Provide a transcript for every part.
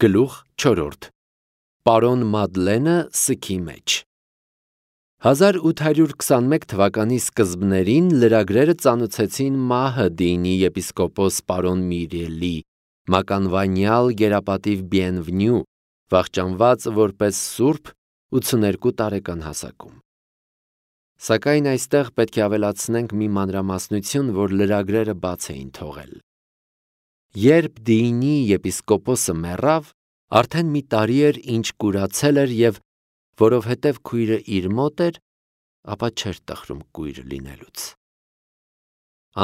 Գլուխ 4. Պարոն Մադլենը սքի մեջ։ 1821 թվականի սկզբներին լրագրերը ծանոթեցին Մահդիինի եպիսկոպոս պարոն Միրիելի, մականվանյալ գերապատիվ Բիենվնյու, վախճանված որպես սուրբ 82 տարեկան հասակում։ Սակայն այստեղ պետք է ավելացնենք մի մանրամասնություն, որ լրագրերը բաց էին թողել։ Երբ Դիինի եպիսկոպոսը մեռավ, արդեն մի տարի էր, ինչ կուրացել էր և որովհետև քույրը իր մոտ էր, ապա չէր տխրում կույր լինելուց։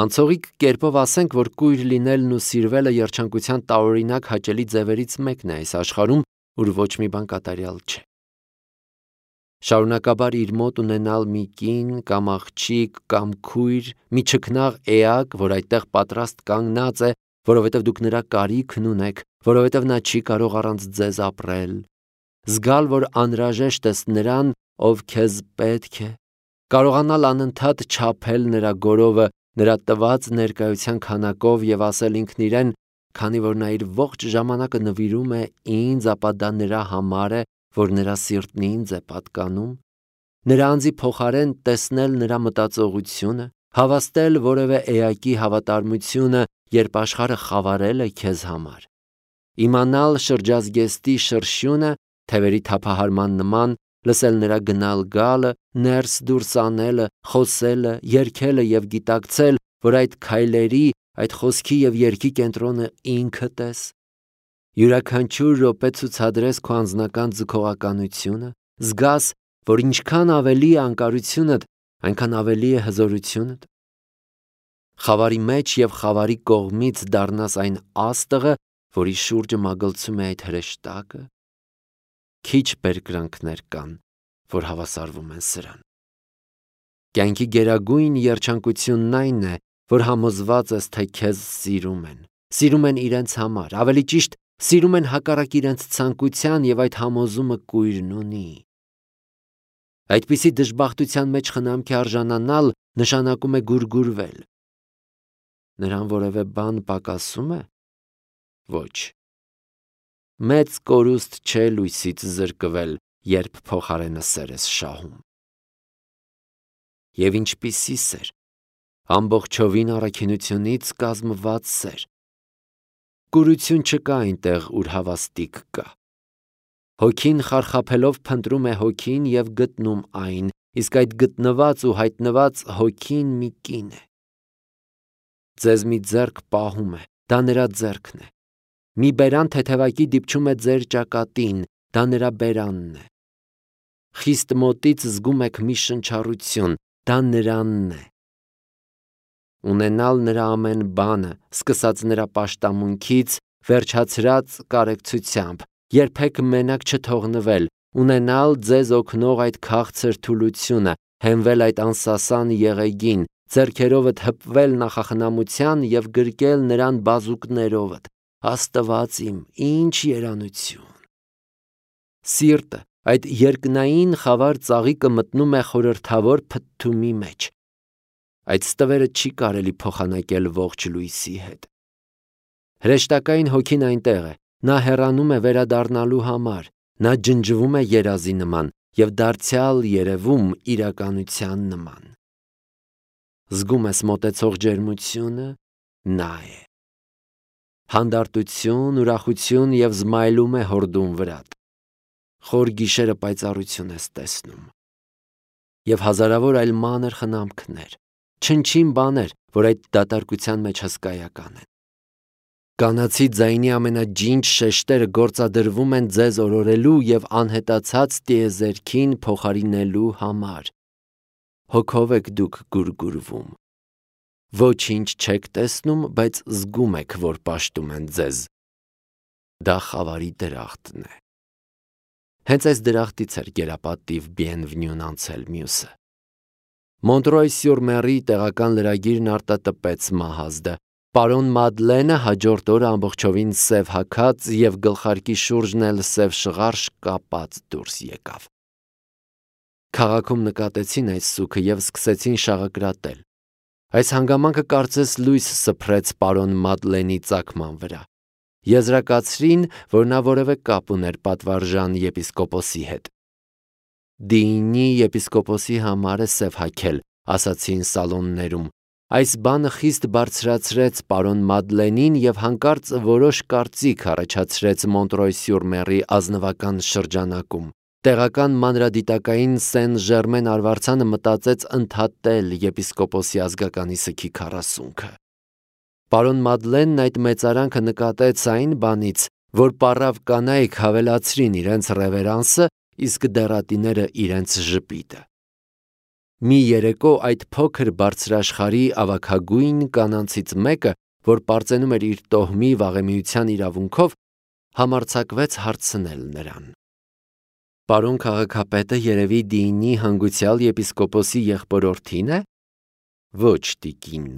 Անցողիկ կերպով ասենք, որ կույր լինելն ու սիրվելը երջանկության տարօրինակ հաճելի ձևերից մեկն է այս աշխարհում, ուր ոչ մի բան կատարյալ չէ։ Շարունակաբար իր մոտ ունենալ մի կին կամ աղջիկ կամ քույր, մի չքնաղ էակ, որ այդտեղ պատրաստ կանգնած է, որովհետև դուք նրա կարիքն ունեք, որովհետև նա չի կարող առանց ձեզ ապրել, զգալ, որ անհրաժեշտ ես նրան, ով քեզ պետք է, կարողանալ անընդհատ չափել նրա գորովը, նրա տված ներկայության քանակով և ասել ինքն իրեն, քանի որ նա իր ողջ ժամանակը նվիրում է ինձ, ապա դա նրա համար է, որ նրա սիրտն ինձ է պատկանում, նրա անձի փոխարեն տեսնել նրա մտածողությունը, հավաստել որևէ էակի հավատարմությունը, երբ աշխարհը խավարել է քեզ համար, իմանալ շրջազգեստի շրշյունը, թևերի թափահարման նման, լսել նրա գնալ գալը, ներս դուրս անելը, խոսելը, երգելը և գիտակցել, որ այդ քայլերի, այդ խոսքի և երգի կենտրոնը ինքդ ես, յուրաքանչյուր րոպե ցուցադրես քո անձնական ձգողականությունը, զգաս, որ ինչքան ավելի է անկարությունդ, այնքան ավելի է հզորությունդ, խավարի մեջ և խավարի կողմից դառնաս այն աստղը, որի շուրջը մագլցում է այդ հրեշտակը, քիչ բերկրանքներ կան, որ հավասարվում են սրան։ Կյանքի գերագույն երջանկությունն այն է, որ համոզված ես, թե քեզ սիրում են իրենց համար, ավելի ճիշտ, սիրում են հակառակ իրենց ցանկության և այդ համոզումը կույրն ունի։ Այդպիսի դժբախտության մեջ խնամքի արժանանալ նշանակում է գուրգուրվել։ Նրան որևէ բան պակասում է։ Ոչ։ Մեծ կորուստ չէ լույսից զրկվել, երբ փոխարենը սեր ես շահում։ Եվ ինչպիսի սեր, ամբողջովին առաքինությունից կազմված սեր։ Կուրություն չկա այնտեղ, ուր հավաստիք կա։ Հոգին խարխափելով փնտրում է հոգին և գտնում այն, իսկ այդ գտնված ու հայտնված հոգին մի կին է։ Ձեզ մի ձեռք պահում է, դա նրա ձեռքն է։ Մի բերան թեթևակի դիպչում է ձեր ճակատին, դա նրա բերանն է։ Խիստ մոտից զգում եք մի շնչառություն, դա նրանն է։ Ունենալ նրա ամեն բանը, սկսած նրա պաշտամունքից, վերջացրած կարեկցությամբ, երբեք մենակ չթողնվել, ունենալ ձեզ օգնող այդ քաղցր թուլությունը, հենվել այդ անսասան եղեգին, ձեռքերովդ հպվել նախախնամության և գրկել նրան բազուկներովդ, Աստված իմ, ինչ երանություն։ Սիրտը, այդ երկնային խավար ծաղիկը մտնում է խորհրդավոր փթթումի մեջ։ Այդ ստվերը չի կարելի փոխանակել ողջ լույսի հետ։ Հրեշտակային հոգին այնտեղ է, նա հեռանում է վերադառնալու համար, նա ջնջվում է երազի նման և դարձյալ երևում իրականության նման։ Զգում ես մոտեցող ջերմությունը, նա է։ Հանդարտություն, ուրախություն և զմայլում է հորդուն վրատ։ Խոր գիշերը պայծառություն ես տեսնում։ Եվ հազարավոր այլ մանր խնամքներ, չնչին բաներ, որ այդ դատարկության մեջ հսկայական են։ Կանացի ձայնի ամենաջինջ շեշտերը գործադրվում են ձեզ օրորելու և անհետացած տիեզերքին փոխարինելու համար։ Հոգով եք դուք գուրգուրվում։ Ոչինչ չեք տեսնում, բայց զգում եք, որ պաշտում են ձեզ։ Դա խավարի դրախտն է։ Հենց այս դրախտից էր գերապատիվ Բիենվնյուն անցել մյուսը։ Մոնտրոյ-սյուր-Մերի տեղական լրագիրն արտատպեց Մահազդը։ Պարոն Մադլենը հաջորդ օրը ամբողջովին սև հագած և գլխարկի շուրջն էլ սև շղարշ կապած դուրս եկավ։ Քաղաքում նկատեցին այս սուգը և սկսեցին շաղակրատել։ Այս հանգամանքը կարծես լույս սփռեց պարոն Մադլենի ծագման վրա։ Եզրակացրին, որ նա որևէ կապ ուներ պատվարժան եպիսկոպոսի հետ։ «Դինի եպիսկոպոսի համար է սև հագել», ասացին սալոններում։ Այս բանը խիստ բարձրացրեց պարոն Մադլենին և հանկարծ որոշ կարծիք առաջացրեց Մոնտրոյ-սյուր-Մերի ազնվական շրջանակում։ Տեղական մանրադիտակային Սեն Ժերմեն արվարձանը մտածեց ընդհատել եպիսկոպոսի ազգականի սգի քառասունքը։ Պարոն Մադլենն այդ մեծարանքը նկատեց այն բանից, որ պառավ կանայք հավելացրին իրենց ռևերանսը, իսկ դեռատիները իրենց ժպիտը։ Մի երեկո այդ փոքր բարձրաշխարհի ավագագույն կանանցից մեկը, որ պարծենում էր իր տոհմի վաղեմիության իրավունքով, համարձակվեց հարցնել նրան. «Պարոն քաղաքապետը երևի Դինի հանգուցյալ եպիսկոպոսի եղբորորդին է»։ «Ոչ, տիկին»,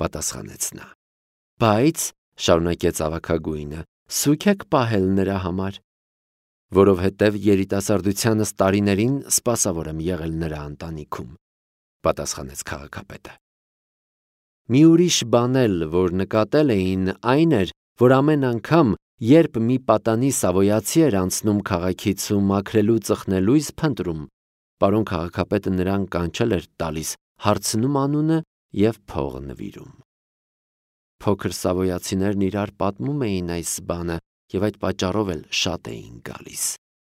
պատասխանեց նա։ «Բայց», շարունակեց ավագագույնը, «սուգ եք պահել նրա համար»։ «Որովհետև երիտասարդությանս տարիներին սպասավոր եմ եղել նրա ընտանիքում», պատասխանեց քաղաքապետը։ Մի ուրիշ բան էլ, որ նկատել էին, այն էր, որ ամեն անգամ, երբ մի պատանի սավոյացի էր անցնում քաղաքից ու մաքրելու ծխնելույս փնտրում, պարոն քաղաքապետը նրան կանչել էր տալիս, հարցնում անունը և փող նվիրում։ Փոքր սավոյացիներն իրար պատմում էին այս բանը և այդ պատճառով էլ շատ էին գալիս։